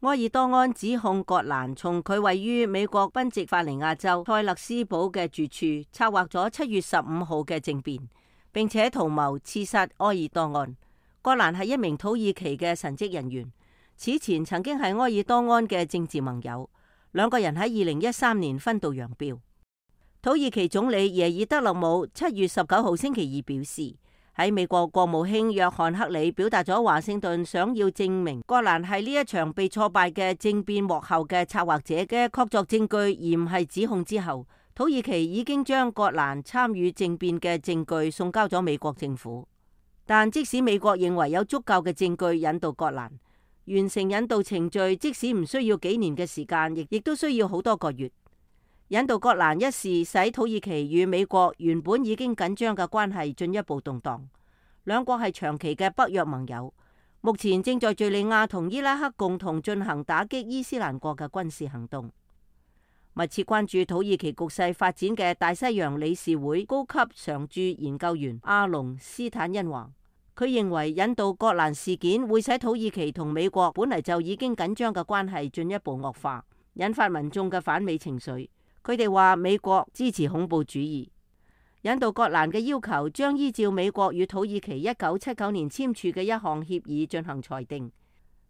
埃爾多安指控葛蘭從佢位於美國賓夕法尼亞州塞勒斯堡嘅住處策劃咗7月15號嘅政變，並且圖謀刺殺埃爾多安。葛蘭係一名土耳其嘅神職人員，此前曾經係埃爾多安嘅政治盟友，兩個人喺2013年分道揚鑣。土耳其總理耶爾德勒姆7月19號星期二表示，喺美國國務卿約翰克里表達咗華盛頓想要證明葛蘭係呢一場被挫敗嘅政變幕後嘅策劃者嘅確鑿證據，而唔係指控之後，土耳其已經將葛蘭參與政變嘅證據送交咗美國政府。但即使美國認為有足夠嘅證據引渡葛蘭，完成引渡程序即使唔需要幾年嘅時間，亦都需要好多個月。引渡葛蘭一事使土耳其與美國原本已經緊張嘅關係進一步動盪，兩國係長期嘅北約盟友，目前正在敘利亞同伊拉克共同進行打擊伊斯蘭國嘅軍事行動。密切關注土耳其局勢發展嘅大西洋理事會高級常駐研究員阿隆斯坦恩話，佢認為引渡葛蘭事件會使土耳其同美國本嚟就已經緊張嘅關係進一步惡化，引發民眾嘅反美情緒。佢哋話美國支持恐怖主義。引渡葛蘭嘅要求將依照美國與土耳其1979年簽署嘅一項協議進行裁定。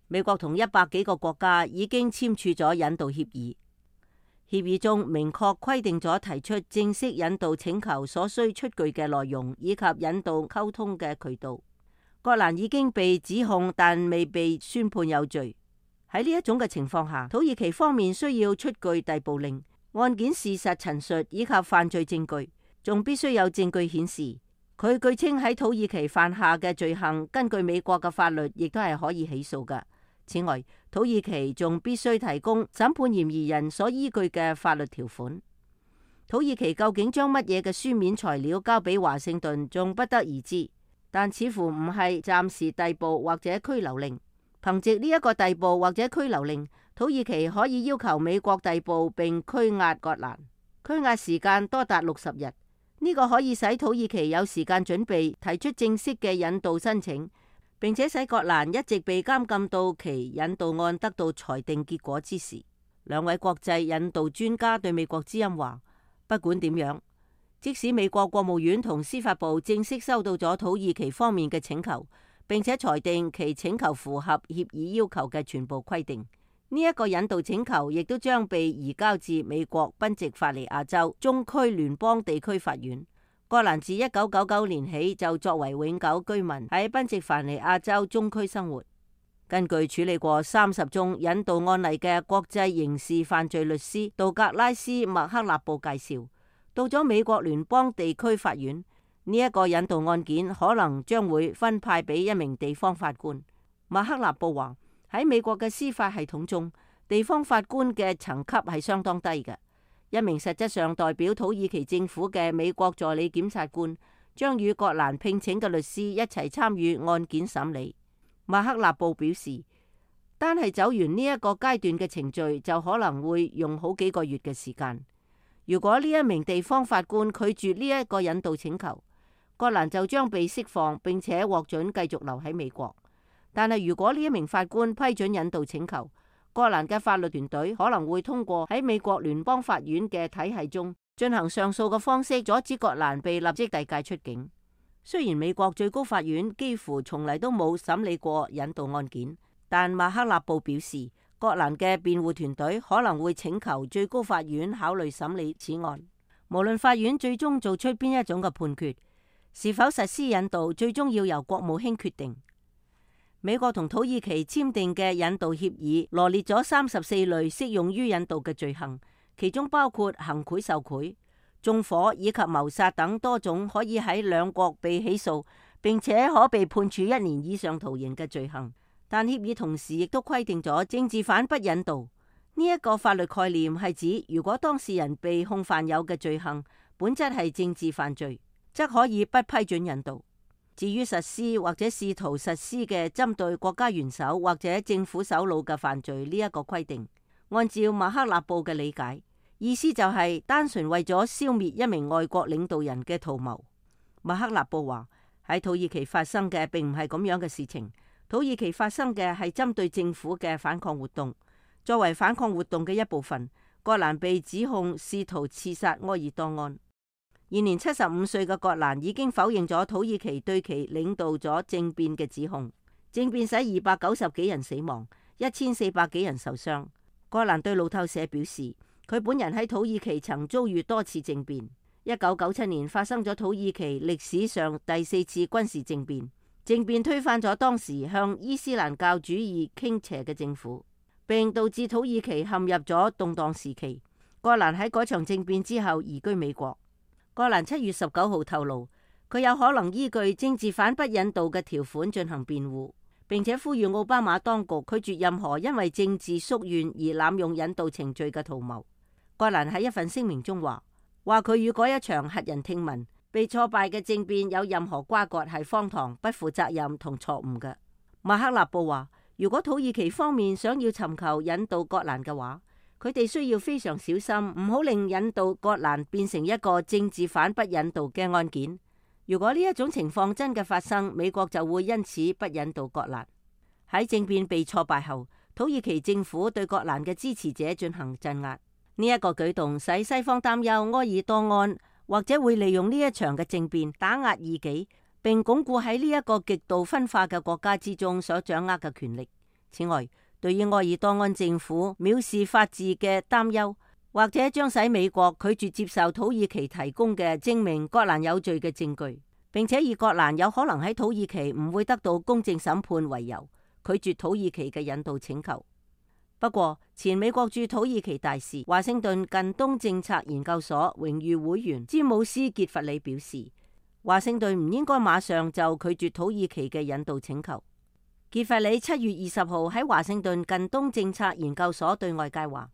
美國同100幾個國家已經簽署咗引渡協議。協議中明確規定咗提出正式引渡請求所需出具嘅內容以及引渡溝通嘅渠道。葛蘭已經被指控，但未被宣判有罪。喺呢一種嘅情況下，土耳其方面需要出具逮捕令、案件事實陳述以及犯罪證據，仲必須有證據顯示佢據稱喺土耳其犯下嘅罪行，根據美國嘅法律亦都係可以起訴㗎。此外，土耳其仲必須提供審判嫌疑人所依據嘅法律條款。土耳其究竟將乜嘢嘅書面材料交俾華盛頓，仲不得而知，但似乎唔係暫時逮捕或者拘留令。憑藉呢一個逮捕或者拘留令，土耳其可以要求美國逮捕並拘押葛蘭，拘押時間多達60日。呢個可以使土耳其有時間準備提出正式嘅引渡申請，並且使葛蘭一直被監禁到其引渡案得到裁定結果之時。兩位國際引渡專家對美國之音話，不管點樣，即使美國國務院同司法部正式收到咗土耳其方面嘅請求，並且裁定其請求符合協議要求嘅全部規定，呢一個引渡請求亦都將被移交至美國賓夕法尼亞州中區聯邦地區法院。葛蘭自1999年起就作為永久居民喺賓夕法尼亞州中區生活。根據處理過30宗引渡案例嘅國際刑事犯罪律師道格拉斯·麥克納布介紹，到咗美國聯邦地區法院，呢一個引渡案件可能將會分派俾一名地方法官。麥克納布話，喺美國嘅司法系統中，地方法官嘅層級係相當低嘅。一名實質上代表土耳其政府嘅美國助理檢察官將與葛蘭聘請嘅律師一齊參與案件審理。馬克納布表示，單係走完呢一個階段嘅程序就可能會用好幾個月嘅時間。如果呢一名地方法官拒絕呢一個引渡請求，葛蘭就將被釋放並且獲准繼續留喺美國。但係如果呢一名法官批准引渡請求，葛蘭嘅法律團隊可能會通過喺美國聯邦法院嘅體系中進行上訴嘅方式，阻止葛蘭被立即遞解出境。雖然美國最高法院幾乎從嚟都冇審理過引渡案件，但馬克納布表示，葛蘭嘅辯護團隊可能會請求最高法院考慮審理此案。無論法院最終做出邊一種嘅判決，是否實施引渡，最終要由國務卿決定。美國同土耳其簽訂嘅引渡協議羅列咗34類適用於引渡嘅罪行，其中包括行賄受賄、縱火以及謀殺等多種可以喺兩國被起訴並且可被判處1年以上徒刑嘅罪行。但協議同時亦都規定咗政治犯不引渡。呢一個法律概念係指，如果當事人被控犯有嘅罪行本質係政治犯罪，則可以不批准引渡。至於實施或者試圖實施嘅針對國家元首或者政府首腦嘅犯罪，呢一個規定，按照馬克納布嘅理解，意思就係單純為咗消滅一名外國領導人嘅圖謀。馬克納布話，喺土耳其發生嘅並唔係咁樣嘅事情，土耳其發生嘅係針對政府嘅反抗活動。作為反抗活動嘅一部分，葛蘭被指控試圖刺殺埃爾多安。現年75歲嘅葛蘭已經否認咗土耳其對其領導咗政變嘅指控。政變使290幾人死亡，1400幾人受傷。葛蘭對路透社表示，佢本人喺土耳其曾遭遇多次政變。1997年發生咗土耳其歷史上第4次軍事政變，政變推翻咗當時向伊斯蘭教主義傾斜嘅政府，並導致土耳其陷入咗動盪時期。葛蘭喺嗰場政變之後移居美國。葛蘭7月19號透露，佢有可能依據政治犯不引渡嘅條款進行辯護，並且呼籲奧巴馬當局拒絕任何因為政治宿怨而濫用引渡程序嘅圖謀。葛蘭喺一份聲明中話佢與嗰一場駭人聽聞、被挫敗嘅政變有任何瓜葛係荒唐、不負責任同錯誤嘅。馬克納布話，如果土耳其方面想要尋求引渡葛蘭嘅話，佢哋需要非常小心，唔好令引渡葛蘭變成一個政治犯不引渡嘅案件。如果呢一種情況真嘅發生，美國就會因此不引渡葛蘭。喺政變被挫敗後，土耳其政府對葛蘭嘅支持者進行鎮壓。呢一個舉動使西方擔憂埃爾多安或者會利用呢一場嘅政變打壓異己，並鞏固喺呢一個極度分化嘅國家之中所掌握嘅權力。此外，對於埃爾多安政府藐視法治嘅擔憂，或者將使美國拒絕接受土耳其提供嘅證明葛蘭有罪嘅證據，並且以葛蘭有可能喺土耳其唔會得到公正審判為由，拒絕土耳其嘅引渡請求。不過，前美國駐土耳其大使、華盛頓近東政策研究所榮譽會員詹姆斯傑弗里表示，華盛頓唔應該馬上就拒絕土耳其嘅引渡請求。傑弗里7月20號喺華盛頓近東政策研究所對外界話，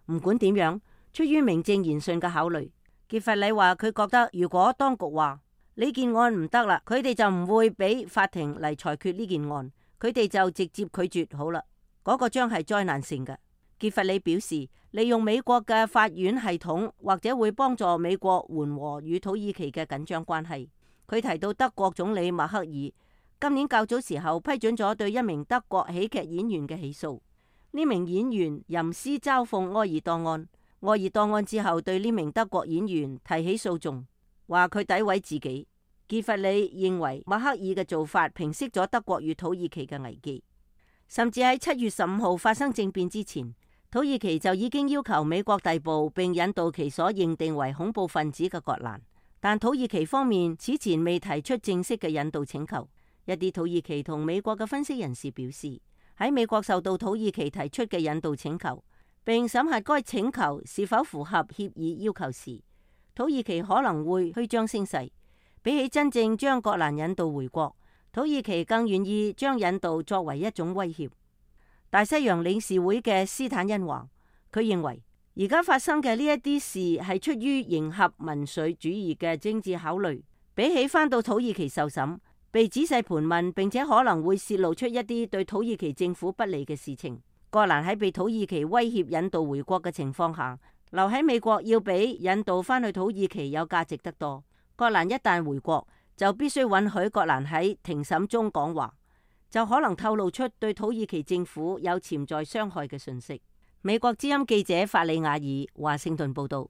唔管點樣，出於名正言順嘅考慮，傑弗里話佢覺得如果當局話呢件案唔得啦，佢哋就唔會俾法庭嚟裁決呢件案，佢哋就直接拒絕好啦。嗰個將係災難性嘅。傑弗里表示，利用美國嘅法院系統或者會幫助美國緩和與土耳其嘅緊張關係。佢提到德國總理默克爾今年較早時候批准咗對一名德國喜劇演員嘅起訴。呢名演員吟詩嘲諷埃爾多安，埃爾多安之後對呢名德國演員提起訴訟，話佢詆毀自己。傑弗里認為默克爾嘅做法平息咗德國與土耳其嘅危機。甚至喺7月15號發生政變之前，土耳其就已經要求美國逮捕並引渡其所認定為恐怖分子嘅葛蘭，但土耳其方面此前未提出正式嘅引渡請求。一啲土耳其同美國嘅分析人士表示，喺美國受到土耳其提出嘅引渡請求，並審核該請求是否符合協議要求時，土耳其可能會虛張聲勢，比起真正將葛蘭引渡回國，土耳其更願意將引渡作為一種威脅。大西洋理事會嘅斯坦恩話，佢認為而家發生嘅呢一啲事係出於迎合民粹主義嘅政治考慮，比起返到土耳其受審，被仔細盤問，並且可能會洩露出一啲對土耳其政府不利嘅事情。葛蘭喺被土耳其威脅引渡回國嘅情況下，留喺美國要比引渡返去土耳其有價值得多。葛蘭一旦回國，就必須允許葛蘭喺庭審中講話，就可能透露出對土耳其政府有潛在傷害嘅訊息。美國之音記者法里亞爾華盛頓報道。